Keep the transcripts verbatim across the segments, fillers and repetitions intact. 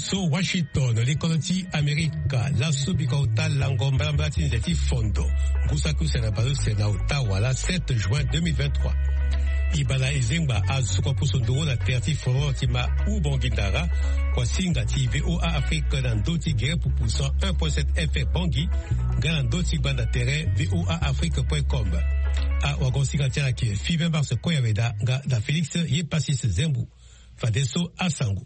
So Washington, likolo ti Amerika, laso biko ota lango mbalambala ti nze ti fondo. Ngu saki use na baleuse na ota wala sept juin deux mille vingt-trois. Ibala ezengba azuko puso nduru na tere ti foro ti ma Ubongi Ndara, kwa singa ti V O A Afrique na ndo ti gere pupu cent un point sept F M Bangui, nga na ndo ti gbanda tere V O A Afrique point com. A wago singa ti ala ke Five Mars Koyaweda nga na Félix Yepasis Zembu. Fadeso asango.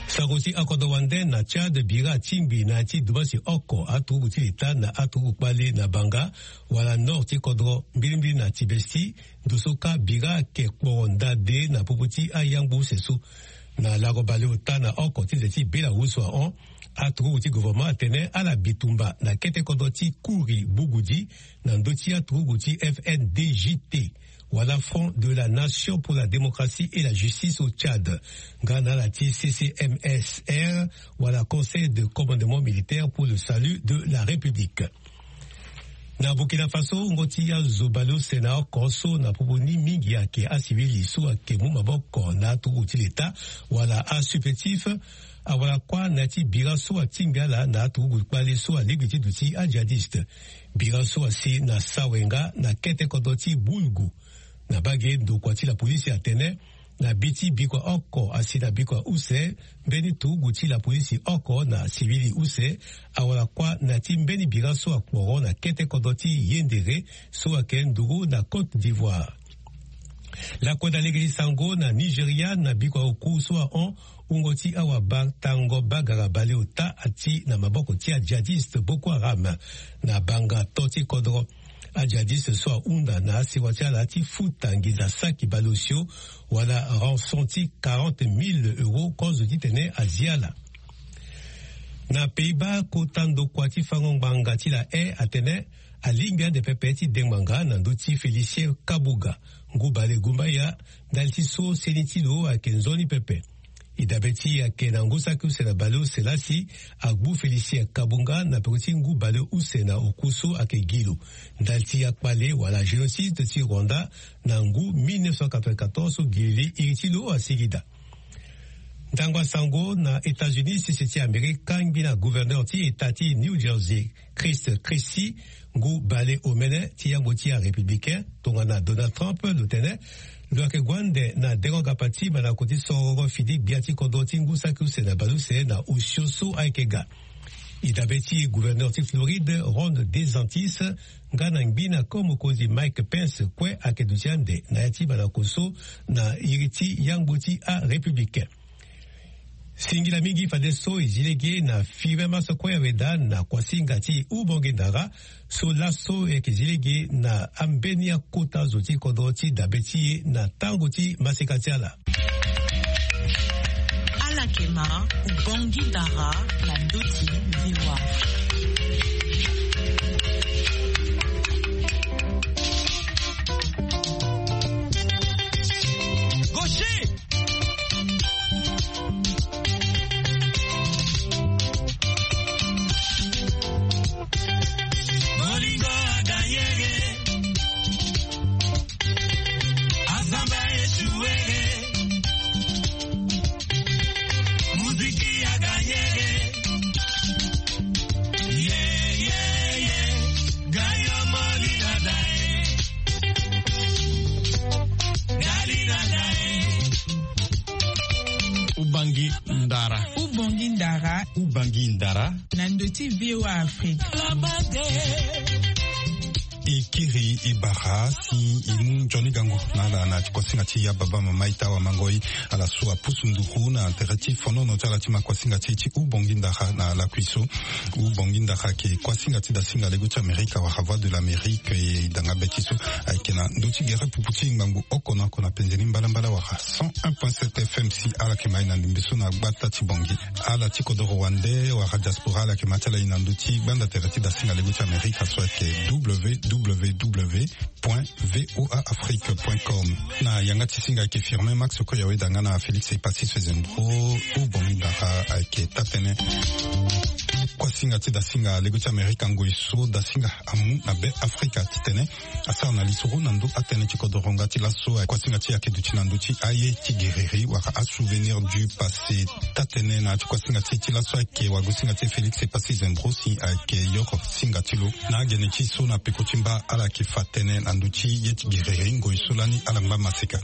Sango ti akodro wande na Tchad bira atingbi na ya ti dumbasi oko aturugu ti leta na aturugu kpale na Banga, wala nord ti kodro mbilimbili na Tibesti, ndo so kâ bira ayeke kporo ndade na popo ti ayangbu use so. Na lango baleota na oko ti nze ti Belarus ahon, aturugu ti gouvernement atene ala bitumba na kete kodro ti Kouri Bougoudi, na ndö ti aturugu ti F N D J T, wala Front de la Nation pour la Démocratie et la Justice au Tchad, nga na ala ti C C M S R, wala Conseil de Commandement Militaire pour le Salut de la République. Na Burkina Faso, wungo ti azo baleuse na oko so na popo ni mingi ayeke asivili so ayeke mu maboko na aturugu ti leta, wala asupplétif, awara kuâ na ya ti bira so atingbi ala na aturugu kpale so alingbi ti duti ajihadiste. Bira so asi na sawenga na kete kodro ti Boulgou. Na bage ndokua ti lapolisi atene, na bi ti bikua oko asi na bikua use, mbeni turugu ti lapolisi oko na sivili use, awara kuâ na ya ti mbeni bira so akporo na kete kodro ti Yendere so ayeke nduru na Côte d'Ivoire. Lakue na lege ti sango na Nigeria, na bikua oku so ahon, wungo ti awabatango bagara baleota ati na maboko ti ajihadiste Boko Haram na Banga to ti kodro. Ajihadiste so ahunda na asewa ti ala ti futa nginza saki baleosio, wala rançon ti quarante mille euros, kozo titene azi ala. Na Pays-Bas, kota ndokua ti fango ngbanga ti la haie atene alingbi ande pepe ti dengbanga na ndö ti Félicien Kabuga, ngu bale gumbaya, ndali ti so seni ti lo ayeke nzoni pepe. E dabe ti e ayeke na ngu saki use na baleuse lasi agbu Félicien Kabuga na peko ti ngu baleuse na oku so ayeke gi lo ndali ti akpale wala génocide ti Rwanda na ngu mille neuf cent quatre-vingt-quatorze so gi li iri ti lo asigi daa. Ndango asango na États-Unis, sese ti Amerika, ngbi na gouverneur ti État ti New Jersey, Chris Christie, ngu bale omene ti yangbo ti arépublicain tongana Donald Trump, lo tene lo yeke gue ande na dengo gapa ti mandako ti soro fini gbia ti kodro ti ngu saki use na baleuse na osio so ayeke ga. E dabe ti gouverneur ti Floride, Ron DeSantis, nga na ngbi na ko mokonzi Mike Pence kue ayeke duti ande na ya ti mandako so na iri ti yangbo ti arépublicain. Singila mingi fadeso e zi lege na Five Mars Koyaweda na kuasinga ti Ubongi Ndara, so laso e yeke zi lege na ambeni akota zo ti kodro ti dabe ti e na tango ti maseka ti ala. Ala yeke ma Ubongi Ndara na ndö ti V O A. Gaucher! Bolingo aganyege, asamba esuwege, muziki aganyege. Ye, ye, ye, gayo moli dada e. Gali dada e. Ubangi Ndara. Ubangi Ndara. Ubangi Ndara. Na ndö ti V O A Afrique. E kiri e bara si e mu nzoni gango na ala na ti kuasinga ti ya baba mama ita wamango e. Ala so apusu nduru na tere ti fonono ti ala ti ma kuasinga ti e ti Ubangi Ndara na lakui so. Ubangi Ndara ayeke kuasinga ti dasinga lego ti Amerika wala Voix de l'Amérique, e danga be ti so ayeke na ndö ti gere pupu ti ngbangbo oko na oko na penze ni mbalambala wala cent un point sept F M si ala yeke ma e na ndembe so na gbata ti Bangui. Ala ti kodoro wande wala diaspora ala yeke ma ti ala e na ndö ti gbanda tere ti dasinga lego ti Amerika so ayeke W W W point V O A Afrique point com. Na yanga ti singa ayeke Firmin Max Koyaweda nga na Félix Epassis Fezendro. Ubangi Ndara ayeke taa-tënë. Kuasi Singa ti dasinga lego ti Amerika ngoi so dasinga amu na be Afrika titene asara na lisoro na ndö atënë ti kodoro nga ti laso. Kuasinga ti e ayeke duti na ndö ti aye ti gereri wala asouvenir du passé. Taa-tënë na ya ti kuasinga ti e ti laso ayeke wagosinga ti e Félix Passy Zembro si ayeke yoro singa ti lo na agene ti e so na peko ti mba ala yeke fa tënë na ndö ti ye ti gereri ngoi so lani ala ngba maseka.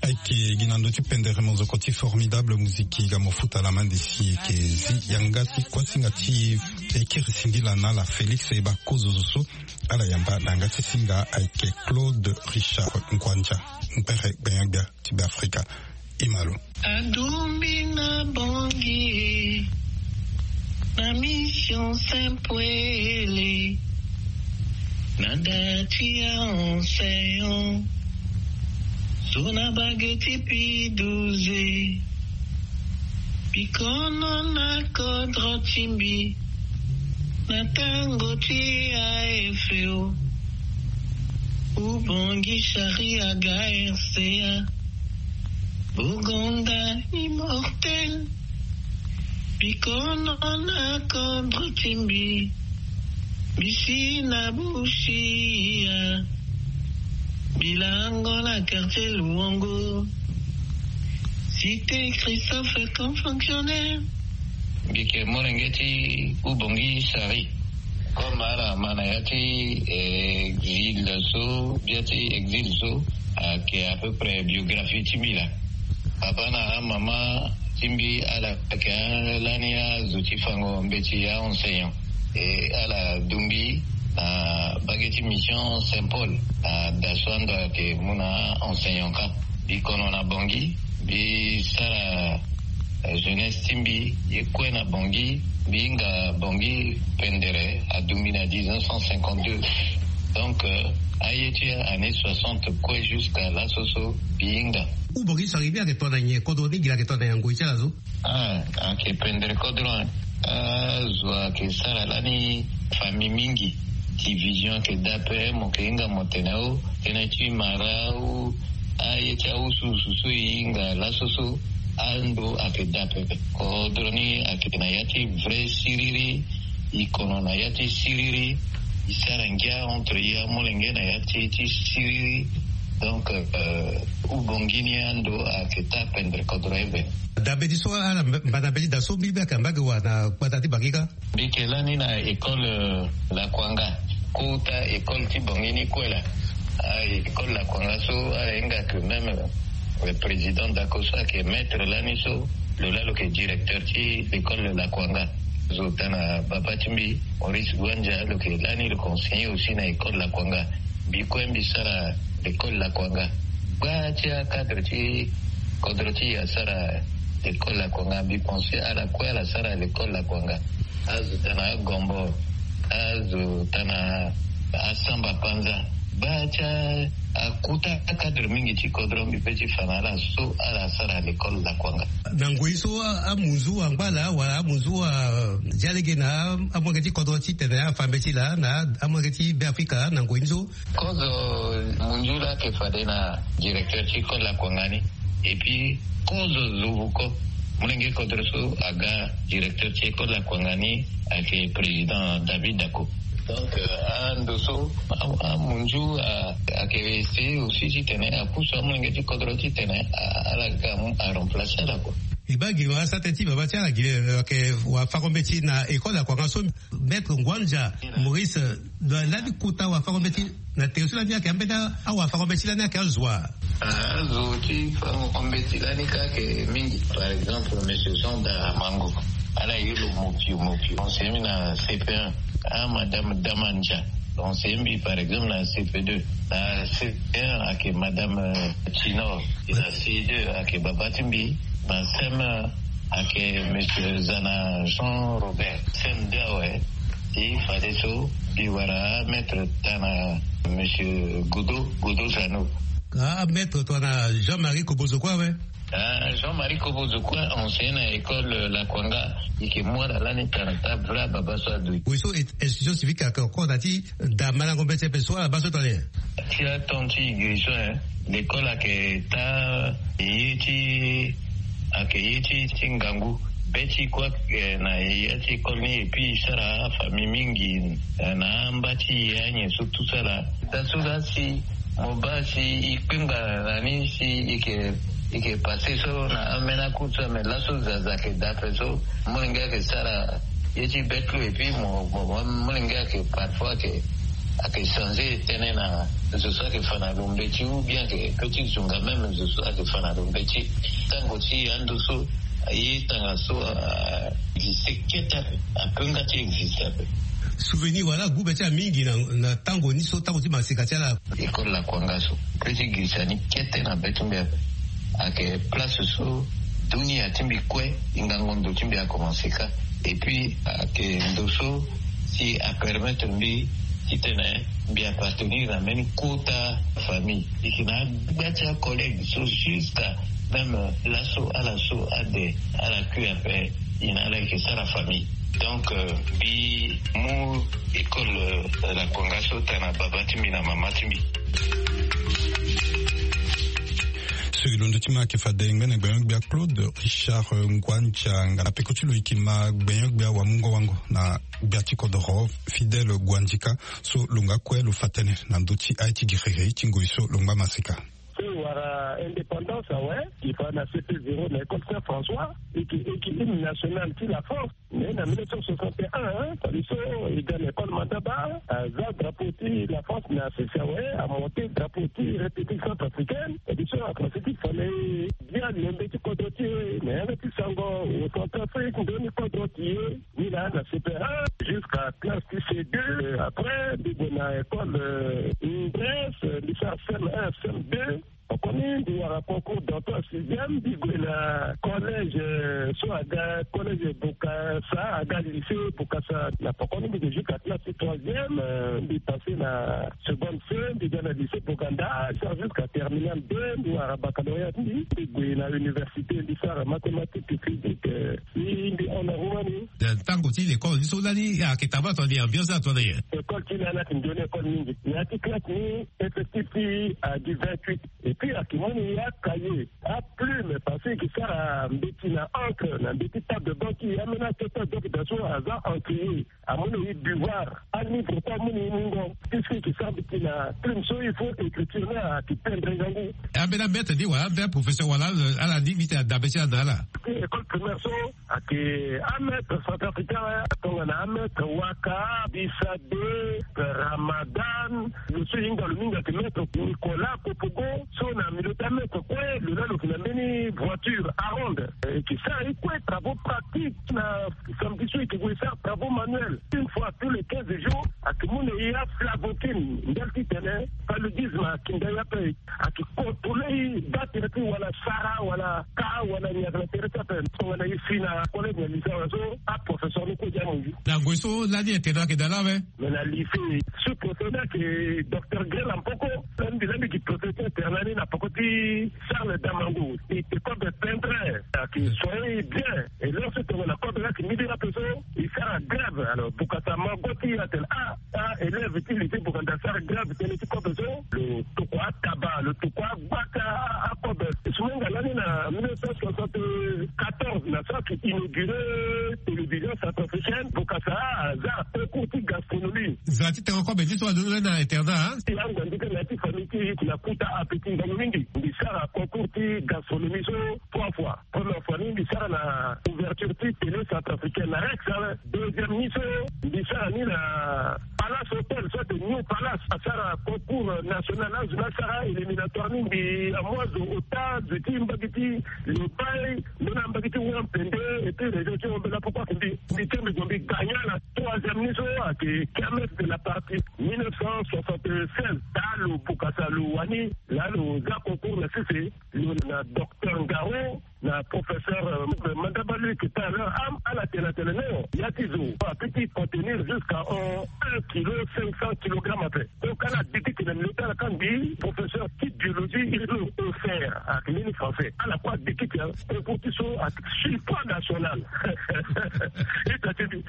Ayeke gi na ndö ti pendere mozoko ti Formidable Musique ga mo futa la main de si eke zi yanga ti kuasinga ti e kiri singila na ala Félix e baa kozo zo so ala yamba na yanga ti singa ayeke Claude Richard Nkwanja, mpere gbenyagbia ti Beafrika. E ma lo. Adumbi na Bangui na mission Saint-Paul, na da ti aenseignant so na bage ti P douze. Bikono na kodro ti mbi na tango ti A F O. Ubongi Chari aga R C A. Bogonda immortel. Bikono na kodro ti mbi. Mbi si na Busia. Bilango na quartier Luongo. Cité Christophe comme fonctionnaire. Mbi yeke molenge ti Ubongi Chari. Comme ala ma na ya ti exil so, bia ti exil so ayeke à peu près biographie ti mbi laa. Papa na amama ti mbi ala yeke lani azo ti fango mbeti, aenseignant. E ala dungbi na bage ti mission Saint-Paul na da so ando ayeke mu na enseignant kâ. Mbi kono na Bangui, mbi sara jeunesse ti mbi ye kue na Bangui. Mbi hinga Bangui pendere adungbi na dix-neuf cent cinquante-deux. Donc aye ti année soixante kue jusqu'à laso so mbi hinga. Ubongi Chari ni ayeke to na nyen? Kodro ni gi la ayeke to na nyen na ngoi ti ala so? Ah, ayeke pendere kodro. Azo ayeke sara lani famille mingi. Division ayeke daa ape, mo yeke hinga mo tene o, tënë ti mara ou aye ti awusuwusu so e hinga laso so, ando ayeke daa ape. Kodro ni ayeke na ya ti vrai siriri. E kono na ya ti siriri. E sara ngia entre e amolenge na ya ti ti siriri. Donc Ubongi ni ando ayeke taa pendere kodro eve. Dabe ti so ala mba na be ti da so mbi mbi ayeke na mbage wa na gbata ti Bangui kâ. Mbi yeke lani na école Lakuanga, kota école ti Bangui ni kue laa. École Lakuanga so ala hinga que même président Dako so ayeke maître lani so, lo laa lo yeke directeur ti l'école Lakuanga. Zo tana baba ti mbi Maurice Gwanja lo yeke lani lo yeke enseigner aussi na école Lakuanga. Mbi kue mbi sara l'école Lakuanga. Gba ti acadre ti kodro ti e asara l'école Lakuanga. Mbi pense ala kue ala sara l'école Lakuanga. Azo tana Agombo, azo tana Asamba Panza. Gba ti akuta acadre mingi ti kodro mbi pe ti fa na ala so ala sara l'école Lakuanga. Na ngoi so amunzu angba laa wala amunzu adia lege na amolenge ti kodro titene afa mbeti laa na amolenge ti Beafrika na ngoi ni so? Kozo munzu laa ayeke fade na directeur ti école Lakuanga ni. Et puis kozo zo vuko molenge kodro so aga directeur ti école Lakuanga ni ayeke président David Dako. Donc ando so amunzu ayeke essayer aussi titene apusu amolenge ti kodro titene ala ga aremplacer ala kua. E baa gi lo asara tënë ti baba ti ala gi lo ayeke wafako mbeti na école Lakuanga so. Maître Ngwanja Maurice, lani kota wafako mbeti na tere so lani ayeke ambeni awafako mbeti lani ayeke azo wa? Azo ti fango mbeti lani kâ ayeke mingi. Par exemple monsieur Jean Daramango, ala ye lo mopio mopio, conseiller mbi na C P un. Ah madame Damanja, conseiller mbi par exemple na C P deux. Na C P un ayeke madame Tinor. Na C deux ayeke baba ti mbi. Na C M un ayeke monsieur Zana Jean Robert. C M deux awe ti fadeso mbi wara maître tana monsieur Godo, Godo Zano. Ah maître tongana Jean-Marie Kobozo kue awe. Ah, Jean-Marie Kobozo kue, enseignant na école, euh, Lakwanga, e ke mu ala lani tara ta vra baba so ado. Oui, so institution civique ayeke encore na ti da malango mbeti ape so ala baa so tene. Ti aton ti igiri so, eh, l'école ayeke ta ye ti, ayeke ye ti, ti ngangu. Be ti kue, eh, na ya ti école ni, et puis e sara afamille mingi, eh, na amba ti ye anyen so tout ça là. Laso la si mo baa si e kpengba na ni si e ke, e ke passé so na amena cour so, mais laso zaza ayeke daa ape so, molenge ayeke sara ye ti be ti lo, et puis mo, mo, mo, molenge ayeke parfois ayeke, ayeke changer tënë na zo so ayeke fa na lo mbeti, ou bien ayeke peut ti zonga même zo so ayeke fa na lo mbeti. Tango ti ando so, ye tanga so, ah, existe kete ape, ape nga ti existe ape. Souvenir wala agu be ti ala mingi na, na tango ni so, tango ti maseka ti ala. École Lakwanga so, pe ti girisa ni kete na be ti mbi ape. Ayeke place so dunia ti mbi kue, e ngango ndo ti mbi akomanse ka. Et puis ayeke ndo so si apermettre mbi titene mbi appartenir na mbeni kota famille. E yeke na agba ti acollègue so jusqu'à même laso ala so ade ala kui ape, e na ala e yeke sara famille. Donc, euh, mbi mu école, euh, Lakwanga so tara na baba ti mbi na mama ti mbi. So e londo ti ma ayeke fade ngbene gbenyo-gbia Claude Richard, euh, Nguandia, nga na peko ti lo e yeke ma gbenyo-gbia wamungo-wango na gbia ti kodoro Fidèle Guandika, so lo nga kue lo fa tënë na ndö ti aye ti giriri ti ngoi so lo ngba maseka. So e wara indépendance awe, e fa na C P zéro na école Saint François, e yeke, e yeke hymne national ti la France. Mais na mille neuf cent soixante et un, hein, fade so e ga na école Mandaba, aza drapeau ti la France na sese awe, amonté drapeau ti République centrafricaine. Fade so akomanse ti fa na e bia lembe ti kodro ti e na yanga ti sango, au Centrafrique, ndoni kodro ti e. Ni laa na C P un jusqu'à classe ti C deux. Après mbi gue na école, euh, Ingres, euh, mbi sara C M un, C M deux. Oko ni mbi wara concours d'entrée en sixième, mbi gue na collège, euh, so aga collège Bokassa, aga lycée Bokassa. Na poko ni mbi gue jusqu'à classe ti troisième, euh, mbi passé na seconde C, mbi ga na lycée Boganda, sara jusqu'à terminale deux, mbi wara baccalauréat ti mbi, mbi gue na université, mbi sara mathématique, physique, euh, mbi, mbi hon na ru ni. Tango ti l'école ni so lani ayeke tabaa tongana nyen, ambiance ni atongana nyen? École ti lani ayeke nzoni école mingi. Na ya ti classe ni, effectif ti e ayeke vingt-huit. Et puis ayeke mu ni acahier, aplume, parce que e yeke sara mbeti na encre na mbeti table de banc ti e, ambeni akete azo ayeke daa so aza encrier. Amu na e devoir, alivre kue amu na e mungo. Puisque e yeke sara mbeti na plume so, il faut écriture ni ayeke tendre ngangu. Ambeni amaître ni wala ambeni aprofesseur wala ala, ala ni mbi tene adabe ti ala na ala. École primaire so ayeke amaître centrafricain, tongana amaître Waka, Bisade, Ramadan, lo so e hinga lo mingi ayeke maître Nicolas Kopogo, so na milieu ti amaître kue, lo laa lo yeke na mbeni voiture Aronde. E yeke sara e kue travaux pratiques. Na samedi so e yeke gue e sara travaux manuels une fois tous les quinze jours. Ayeke mu na e aflavokine, ndali titene paludisme akinda e ape. Ayeke contrôler e, battre ti wala sara wala ka wala nyaga na tere ti ape. Tongana e si na collège na lycée awe so, aprofesseur ni kue dia amu e. Na ngoi so lani internat ayeke daa laa awe? Mais na lycée, sous-professeur ni ayeke docteur Grela Mpoko. Lani mbi, lani mbi yeke professeur internat ni na poko ti Charles Damango. E yeke kobe pendre, ayeke soigner e bien. Et lorsque tongana kobe ni ayeke mbiri ape so, e sara grève. Alors Bokassa ma go ti e atene ah, ah, élève ti lycée Boganda asara grève tënë ti kobe so. Lo tokua ataba, lo tokua agbata akobe. Sumenga lani na mille neuf cent soixante-quatorze na so ayeke inauguré télévision centrafricaine, Bokassa aza na concours ti gastronomie. Za ti tene kobe ti so alondo lani na internat, hein? Ti angbandika na ya ti famille ti e ti na kuta appétit ngangu mingi. Mbi sara concours ti gastronomie so trois fois. Première fois ni mbi sara na ouverture ti télé centrafricaine na Rex, hein. Deuxième ni so mbi sara ni na Palace Hotel, so ayeke New Palace. Asara concours national, azo ni asara éliminatoire ni, mbi amu azo ota, zo ti mbage ti Lobaye, mbeni ambage ti Wampende, et puis région ti Hombela, pourquoi que mbi, mbi ti mbi zo mbi gagna na troisième ni so ayeke kermesse de la patrie mille neuf cent soixante-seize. Daa lo Bokassa lo wani, laa lo za concours na sese, lo na docteur Ngaro, na professeur, euh, Mandaba Luc, tout à l'heure, am, ala tene atene non, ya ti zo apeut ti contenir jusqu'à, euh, un kilo cinq cents kilogrammes ape. Donc ala dikite na milieu ti ala, ka mbi professeur ti biologie, il faut au Ayeke mbeni français ala kue adeki ti ya. Concours ti so ayeke surpoids national. Ita ti mbi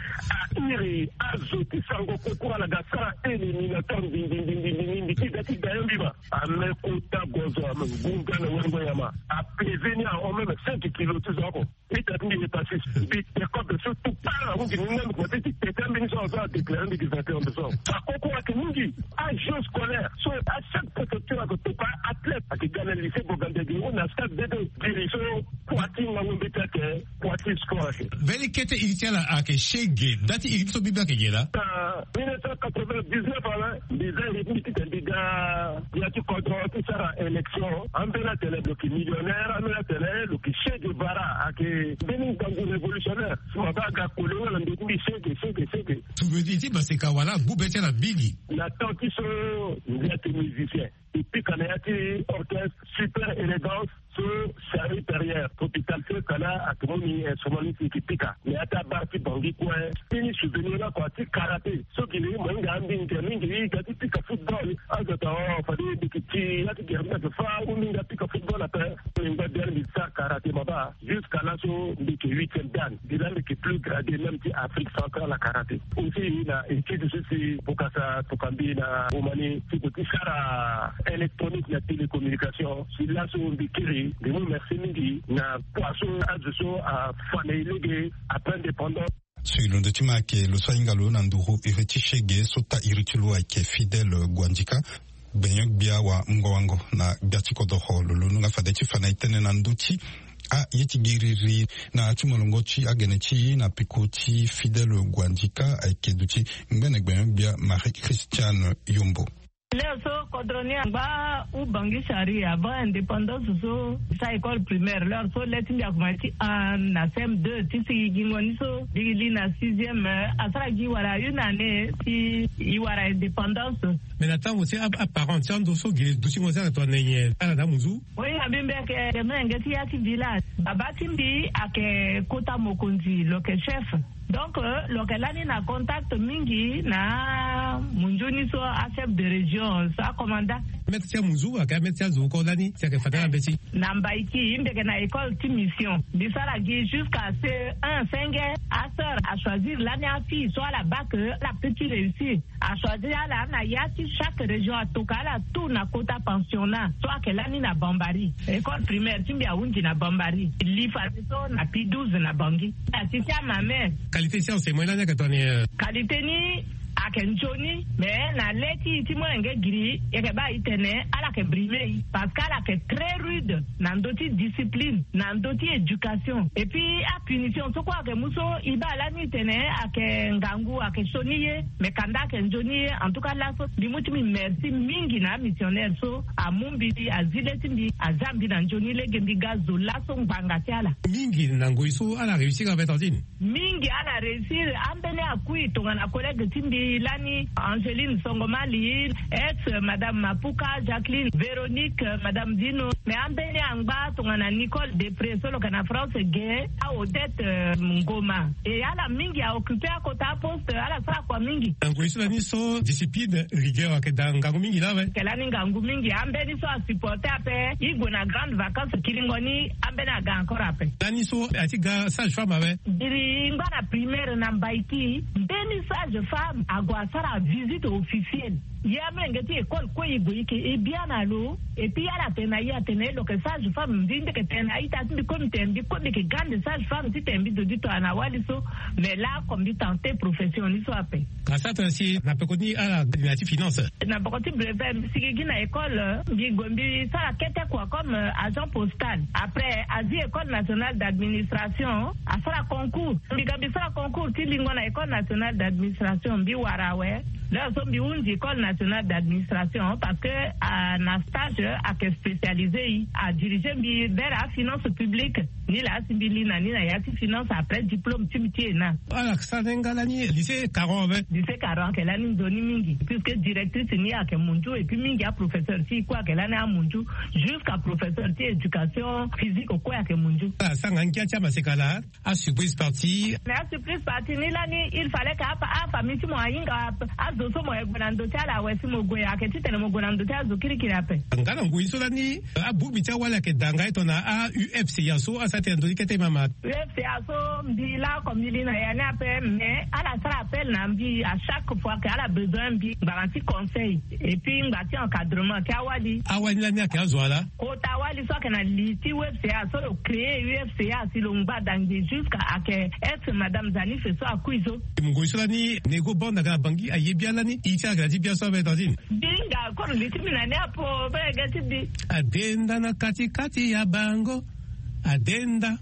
airi azo ti sango concours ala ga sara éliminatoire mbindimbi ti da ti dayo mbi ma. Ame kota gozo ame ngunga na wengo nyama. Apeze ni ahon même cinq kilo ti zo oko. Ita ti mbi hépatite mbi te kobe so tout part ahungi ni ngandu kua ti ti tete ambeni so azo adéclare mbi gi vingt et un de so. Akoko ayeke mingi. Agent scolaire so achaque préfecture ayeke toka athlète ayeke ga na lycée bogandiagiro na stade bebe. Giri so kua ti ngangu mbeti ayeke kua ti sport ayeke. Mbeni kete iri ti ala ayeke shege nda ti iri ti so mbi mbi ayeke ge laa. Na mille neuf cent quatre-vingt-dix-neuf awe mbi za iri ti mbi titene mbi ga ya ti kodro ti sara élection. Ambeni atene lo yeke millionnaire, ambeni atene lo yeke Che Guevara ayeke mbeni ngangu révolutionnaire. Si mo baa aga koli nga na ndö ti mbi sege sege sege. Souvenir ti maseka wala agbu be ti ala mingi. Na temps ti so mbi ayeke musicien. E pika na ya ti orchestre Super Élégance so Charlie Perrier hôpital so e ka laa ayeke mu ni instrument ni si e yeke pika na ya ti abar ti Bangui kue. Mbeni souvenir laa kua ti karaté so gi na ye mo hinga ambeni tere mingi e hinga ti pika football. Azo atene o fade mbi yeke ti ya ti gere mbi ayeke fâ ou mbi hinga pika football ape. Mbi ngba biani mbi sara karaté ma baa. Jusqu'à laso mbi yeke huitième dan. Mbi laa mbi yeke plus gradé même ti Afrique centrale na karaté. Aussi na étude so si Bokassa toka mbi na Roumanie ti ko ti sara électronique na télécommunication. Si laso mbi kiri mbi mu merci mingi na kua so azo so afa na e lege après indépendance. So e londo ti ma ayeke lo so ahinga lo na nduru iri ti shege so taa iri ti lo ayeke Fidèle Guandika. Gbenyo-gbia wamungo-wango na gbia ti kodoro lo londo nga fade ti fa na e tënë na ndö ti aye ti giriri na ya ti molongo ti agene ti e na peko ti Fidèle Guandika ayeke duti ngbene gbenyo-gbia Marie Christiane Yombo. Leo so kodro ni angba ou Bangui Chari avant indépendance so sa école primaire leo so le ti mbi akomanse ti un na C M deux ti si gingo ni so mbi li na sixième asara gi wala une année ti e wara indépendance. Mais na tango si aparent ti ando so gi dutingo si ayeke tongana nyen ala na amunzu. Oui na mbi mbi ayeke molenge ti ya ti village. Baba ti mbi ayeke kota mokonzi lo yeke chef. Donc lo yeke lani na contact mingi na munzu ni so achef de région so acommandant. Maître ti amunzu ayeke amaître ti azo oko lani si ayeke fade ala mbeti. Na Mbaïki mbi yeke na école ti mission mbi sara gi jusqu'à C E un senge. Aseur achoisir lani afille so ala bake ala peut ti réussir. Achoisir ala na ya ti chaque région atoka ala tout na kota pensionnat so ayeke lani na Bambari. École primaire ti mbi ahunzi na Bambari. Li fade so na P douze na Bangui. Asi ti amame. Qualité ti enseignement lani ayeke tongana nyen? Qualité ni ayeke nzoni. Mais na le ti e ti molenge giri e yeke baa e tene ala yeke brime e parce que ala yeke très rude na ndö ti discipline na ndö ti éducation. Et puis apunition so kue ayeke mu so e baa lani e tene ayeke ngangu ayeke sioni ye. Mais kanda ayeke nzoni ye. En tout cas laso mbi mu ti mbi merci mingi na amissionnaire so amu mbi azi le ti mbi aza mbi na nzoni lege mbi ga zo laso ngbanga ti ala. Mingi na ngoi so ala réussir ape tantine. Mingi ala réussir. Ambeni akui tongana collègue ti mbi lani Angeline Songomali, ex madame Mapuka, Jacqueline, Véronique, madame Dino. Mais ambeni angba tongana Nicole Depré so lo yeke na France ge, a Odette Ngoma. E ala mingi a occuper akota aposte ala sara kua mingi. Na ngoi so lani so discipline, rigueur ayeke daa ngangu mingi laa awe. Ayeke lani ngangu mingi. Ambeni so asupporter ape e gue na grande vacance kiringo ni ambeni aga encore ape. Lani so a ti ga sage femme awe. Iri ngba na primaire na Mbaïki mbeni sage femme ague asara visite officielle. Ye amolenge ti école kue e gue e yeke e bia na lo. Et puis ala tene na e atene lo yeke sage femme mbi mbi yeke tene na a-ita ti mbi kue mbi tene mbi kue mbi yeke grande sage femme titene mbi zo ti tongana wali so. Mais laoko mbi tenter profession ni so ape. Asara tongana si na peko ni ala gi na ya ti finance. Na peko ti brevet mbi sigi gi na école mbi gue mbi sara kete kua comme agent postal. Après azi école nationale d'administration asara concours. Mbi ga mbi sara concours ti lingo na école nationale d'administration mbi wara awe. Leo so mbi hunzi école nationale d'administration parce que na stage ayeke spécialisé e adirige mbi vers afinance publique. Ni laa si mbi li na ni na ya ti finance après diplôme ti mbi ti ena. Ala sara ni nga lani lycée Caron ape. Lycée Caron ayeke lani nzoni mingi puisque directrice ni ayeke munzu et puis mingi aprofesseur ti e kue ayeke lani amunzu. Jusqu'à professeur ti éducation physique kue ayeke munzu. Ala sara nga ngia ti amaseka laa. Asurprise partie. Mais asurprise partie ni lani il fallait que afamille ti mo ahinga azo so mo ye gue na ndo ti ala awe si mo gue ayeke titene mo gue na ndo ti azo kirikiri ape. Nga na ngoi so lani abongbi ti awali ayeke daa nga eto na a U F C A so asara tena ndo ti kete mama. U F C A so mbi laa comme mbi li na ya ni ape mais ala sara appel na mbi à chaque fois que ala besoin mbi ngbanga ti conseil et puis ngba ti encadrement ti awali. Awali lani ayeke azo ala. Kota wali so ayeke na li ti U F C A so lo créé U F C A si lo ngba dange jusqu'à ayeke ex madame Zanife so akui so. Ngoi so lani Nego Banda ga na Bangui aye bia lani i ti ala ga ti bia so abe tantine. Binga koro li ti mbi na ni apo be ga ti bi. Adenda na kati kati ya bango. Adenda.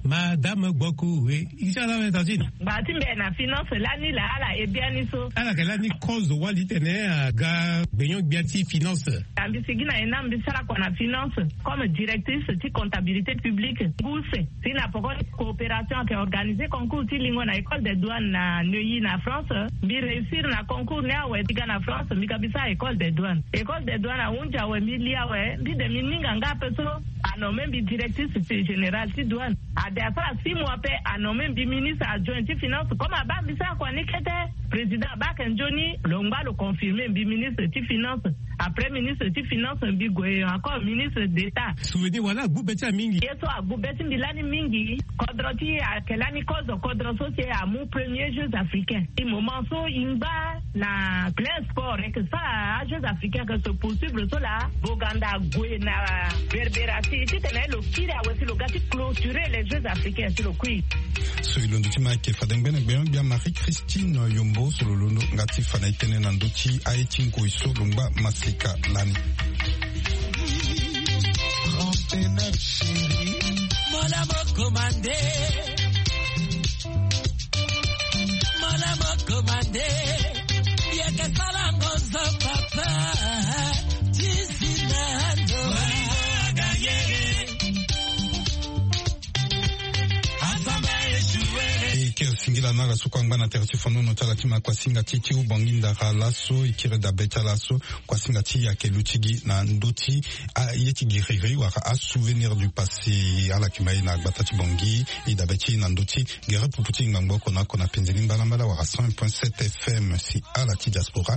Madame Gboku we i ti ala abe tantine. Ngba ti mbi na finance lani la ala e biani so. Ala yeke lani kozo wali tene aga gbenyo gbia ti finance. Mbi sigi na ena mbi sara kua na finance comme directrice ti comptabilité publique. Ngu use si na poko coopération ayeke organisé concours ti lingo na école des douanes na Neuilly na France. Mbi réussir na concours ni awe mbi ga na France mbi ga mbi sara école des douanes. École des douanes ahunzi awe mbi li awe mbi de mbi ninga nga ape so. Anommé mbi directrice générale ti douane. Ade asara six mois pe anommé mbi ministre adjoint ti finance comme abaa mbi sara kua ni kete. Président abaa ayeke nzoni lo ngba lo confirmé mbi ministre ti finance. Après ministre ti finance mbi gue encore ministre d'état. Souvenir wala agbu be ti amingi. Ye so agbu be ti mbi lani mingi. Kodro ti e ayeke lani kozo kodro so si e amu premier jeux africain. E moment so e ngba na plein sport e yeke sara ajeux africain yeke se poursuivre so laa. Boganda ague na berbera si titene lo kiri awe si lo ga ti clôturer les jeux africains si lo kui. So e londo ti ma ayeke fade ngbene gbenyo gbia Marie Christine Yombo so lo londo nga ti fa na e tënë na ndö ti aye ti ngoi so lo ngba masika lani. Mola mo commandé. Mola mo commandé. Yeke sala ngo zo papa. Ti si na ndo. E kiri singila na ala so kue angba na tere ti fonono ti ala ti ma kuasinga ti ti Ubangi Ndara laso e kiri dabe ti ala so. Kuasinga ti e ayeke luti gi na ndö ti aye ti giriri wala asouvenir du passé. Ala yeke ma e na gbata ti Bangui e dabe ti e na ndö ti gere pupu ti ngbangbo oko na oko na penze ni mbalambala wala cent un point sept F M. Si ala ti diaspora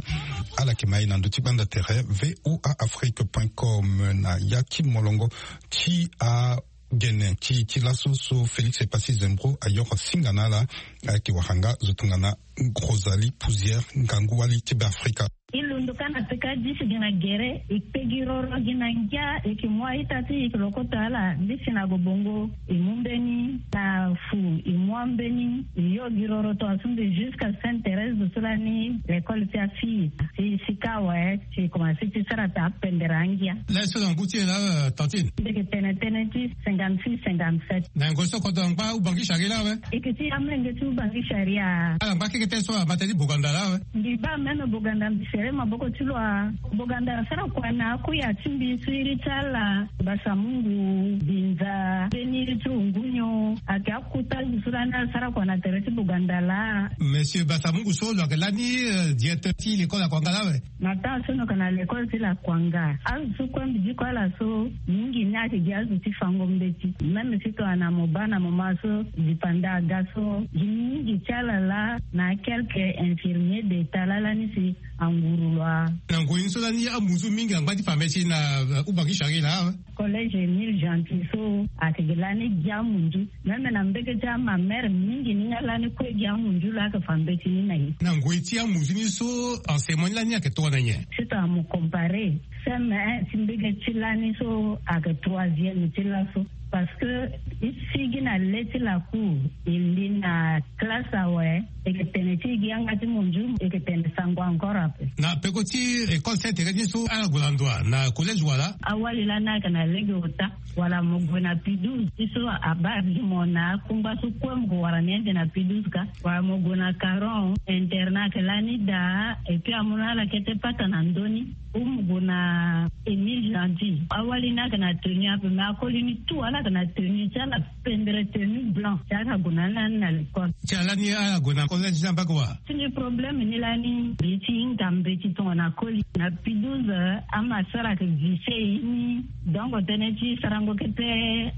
ala yeke ma e na ndö ti gbanda tere V O A Afrique point com na ya ti molongo ti agene ti ti laso so Félix Epassi Zembro ayoro singa na ala. Ayeke wara nga zo tongana Rosalie Pouzière ngangu wali ti Beafrika. E londo ka na peka disi gi na gere e kpe gi roro gi na ngia e yeke mu a-ita ti e e yeke lokoto ala. Disi na gobongo e mu mbeni na fu e mu ambeni e yo gi roro tongaso nde jusqu'à Sainte Thérèse so lani l'école ti afille. Si sika awe si e komanse ti sara ata apendere angia. Laso na ngu ti e laa tantine. Mbi yeke tene tënë ti cinquante-six cinquante-sept. Na ngoi so kodro angba Ubangi Sharia laa awe. E yeke ti amolenge ti Ubangi Sharia. Ala ngba keke tënë so abata ti Boganda laa awe. Mbi baa même Boganda mbi sere maboko ti lo a. Boganda asara kua na akuya ti mbi so iri ti ala Basamungu Binza mbeni iri ti Ungunyo. Ayeke akuta azo so lani asara kua na tere ti Boganda laa. Monsieur Basamungu so lo yeke lani directeur ti l'école Akwanga laa awe. Na temps so no yeke na l'école ti Lakwanga azo so kue mbi diko ala so mingi ni ayeke gi azo ti fango mbeti. Même si tongana mo baa na moment so dipanda aga so gi mingi ti ala laa na quelques infirmiers d'état laa lani si anguru lo a. Na ngoi ni so lani amu so mingi angba ti fa mbeti na Ubangi Sharia laa awe. Collège Émile Gentil so ayeke gi lani gi amunzu. Même na mbege ti amamere mingi ni nga lani kue gi amunzu lo ayeke fa mbeti ni na ye. Na ngoi ti amunzu ni so enseignement ni lani ayeke tongana nyen? Si tongana mo comparer C M un ti mbege ti lani so ayeke troisième ti laso. Parce que e sigi na le ti lacour e li na classe awe. E yeke tene ti e gi yanga ti munzu e yeke tene sango encore ape. Na peko ti école Sainte Thérèse ni so ala gue na ndo wa na collège wala? Awali lani ayeke na lege ota. Wala mo gue na P douze ti so abaa gi mo na akungba so kue mo ko wara ni ande na P douze ka. Wala mo gue na Caron internat ayeke lani daa. Et puis amu na ala kete pata na ndö ni. Ou mo gue na Émile Gentil, awali ni ayeke na tenue ape, mais akoli ni tout ala yeke na tenue ti ala, pendre tenue blanc ti ala gue na ni lani na l'école. Ti ala ni ala gue na collège ni ambaka wa? Ti ni problème ni lani, mbi ti hinga mbeti tongana koli na P douze, ama sara ayeke vise ye ni. Donc tënë ti sarango kete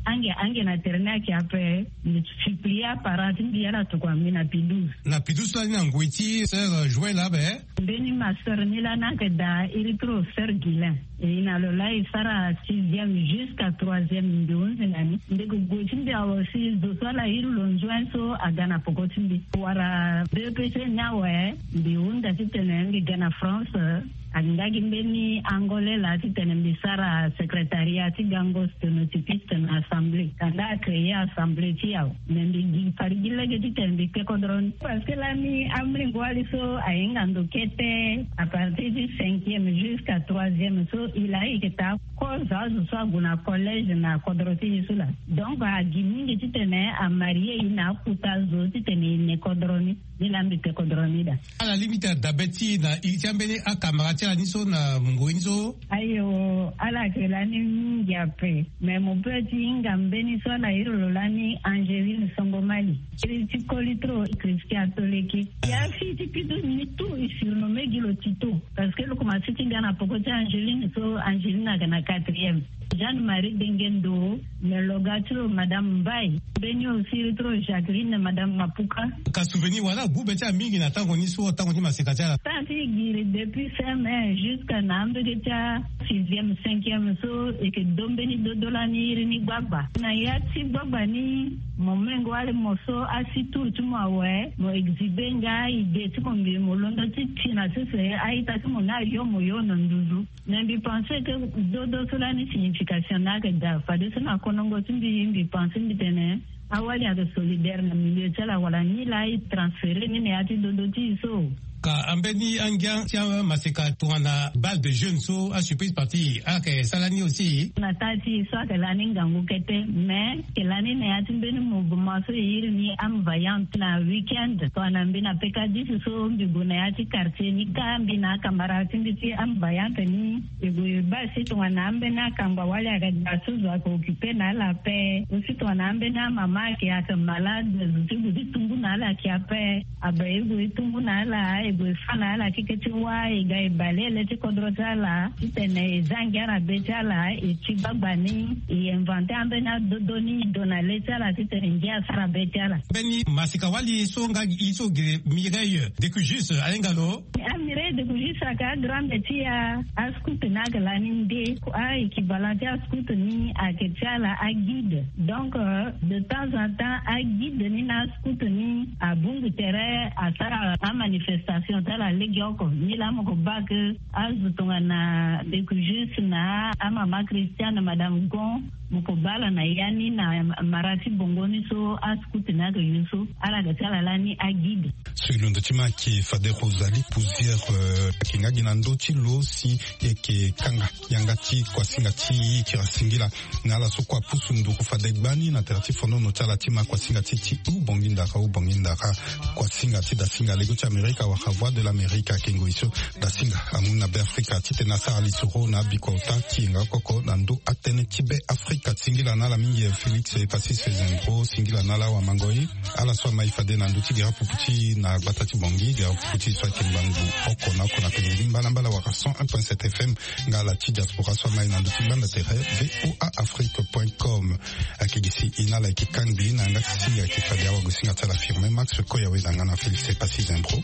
ange ange na tere ni ayeke ape. Mbi supplie aparent ti mbi ala tokua mbi na P douze. Na P douze so lani na ngoi ti sœur Joël ape. Mbeni ma sœur ni lani ayeke daa iri ti lo sœur Guilain. E na lo laa e sara sixième jusqu'à troisième mbi hunzi na ni. Mbi yeke gue ti mbi awe si zo so ala iri lo nzuen so aga na peko ti mbi. Wala B E P C ni awe, mbi hunda titene mbi ga na France. Ayeke nga gi mbeni Angolais laa titene mbi sara secrétariat ti gango sténotypiste na assemblée. Kanda acréer assemblée ti e awe. Mais mbi gi fade gi lege titene mbi kpe kodro ni. Parce que lani amolenge wali so ahinga ndo kete, à partir ti cinquième jusqu'à troisième so, e laa e yeke taa kozo azo so ague na collège na kodro ti e so laa. Donc agi mingi titene amarie e na akota zo titene e ne kodro ni. Ni laa mbi kpe kodro ni daa. Ala limite na dabe ti e na iri ti ambeni akamara ti ala ni so na ngoi ni so? Ayo, ala yeke lani mingi ape. Mais mo peut ti hinga mbeni so ala iri lo lani Angeline Songomali. Iri ti koli trop, Christian Toleke. Ya fille ti P douze ni tout e surnommé gi lo Tito. Parce que lo komanse ti ga na poko ti Angeline so, Angeline ayeke na quatrième. Jeanne Marie Dengendo, mais lo ga ti lo Madame Mbaye. Mbeni aussi iri ti lo Jacqueline, Madame Mapuka. Ka souvenir wala agu be ti ala mingi na tango ni so, tango ti maseka ti ala? Tango ti e giri depuis C M un jusqu'à na ambege ti asixième, cinquième so, e yeke do mbeni dodo lani iri ni gbagba. Na ya ti gbagba ni, mo molenge wali mo so asi tour ti mo awe, mo exhiber nga idée ti mo, mbi mo londo ti ti na sese a-ita ti mo ni ayo mo yo na nduzu. Mais mbi pense que dodo so lani signification ni ayeke daa. Fadeso na konongo ti mbi, mbi pense mbi tene awali ayeke solidaire na milieu ti ala, wala ni laa e transférer ni na ya ti dodo ti e so. Ka ambeni angia ti amaseka tongana bal de jeune so, asurprise party, ala yeke sara ni aussi? Na taa ti e so ayeke lani ngangu kete, mais ayeke lani na ya ti mbeni mouvement so e iri ni Âme Vaillante. Na week-end tongana mbi na P K dix so, mbi gue na ya ti quartier ni kâ, mbi na akamara ti mbi ti Âme Vaillante ni. E gue e baa si tongana ambeni akangba wali ayeke daa so, zo ayeke occupé na ala ape. Aussi tongana ambeni amama ayeke, ayeke malade, zo ti gue ti tumbu na ala ayeke ape. Abe e gue e tumbu na ala, e gue e fâ na ala keke ti wâ, e ga e bale ele ti kodro ti ala titene e zia ngia na be ti ala. E ti gbagba ni e inventer ambeni adodo ni, e do na le ti ala titene ngia asara be ti ala. Mbeni maseka wali so nga gi e so gere Mireille Decujus, ahinga lo? A Mireille Decujus ayeke agrande ti e, ascout ni ayeke lani nde. A-équivalent ti ascout ni ayeke ti ala aguide. Donc, euh, de temps en temps aguide ni na ascout ni abungbi tere asara amanifestation ti ala legeoko. Ni laa mo ko baa ke azo tongana Decujus na amama Christiane, Madame Gon, mo ko baa ala na ya ni na mara ti bongo ni so ascout ni ayeke yo so, ala ga ti ala lani aguide. So e londo ti ma ayeke fade Rosalie Pousière, euh, ayeke nga gi na ndö ti lo si e yeke kanga yanga ti kuasinga ti e, e kiri singila na ala so kue apusu nduru fade gbani na tere ti fonono ti ala ti ma kuasinga ti e ti hubongi ndara, hubongi ndara. Kuasinga ti dasinga lego ti Amerika wala Voix de l'Amérique ayeke ngoi so dasinga amu na Be Afrika titene asara lisoro na abiko ota ti yenga oko oko na ndö atënë ti Be Afrika. Singila na ala mingi Félix Epasis Fezendro, singila na ala awamango e. Ala so amai fade na ndö ti gere apupu ti e na gbata ti Bangui, gere apupu ti e so ayeke ngbangbu oko na oko na pengeli mbalambala wala cent un point sept F M, nga ala ti diaspora so amai na ndö ti gbanda tere V O A Afrique point com. Ayeke gi si e na ala ayeke kangbi na yanga ti singa ayeke fade awagosinga ti ala Firmin Max Koyawe na nga na Félix Epasis Zembro.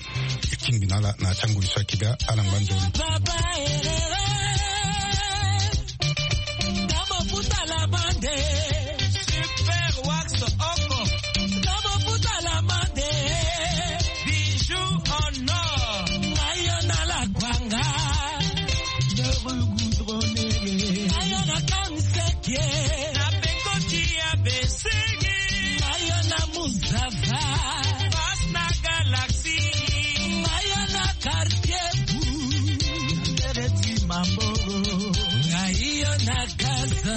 E kingbi na ala na ya ti angoi so ayeke ga ala ngba ndoni. Papa Herrera, na bofuta la bande. Super Wax Oko, na bofuta la bande. Bijou en or, na yo na la kwanga. Ayo na Kanseke, na Pekoti ya Besege. Ayo na Muzava, Pass na Galaxy. Ayo na Quartier Bou, Ndere ti Mamboro. Ayo na Gaza.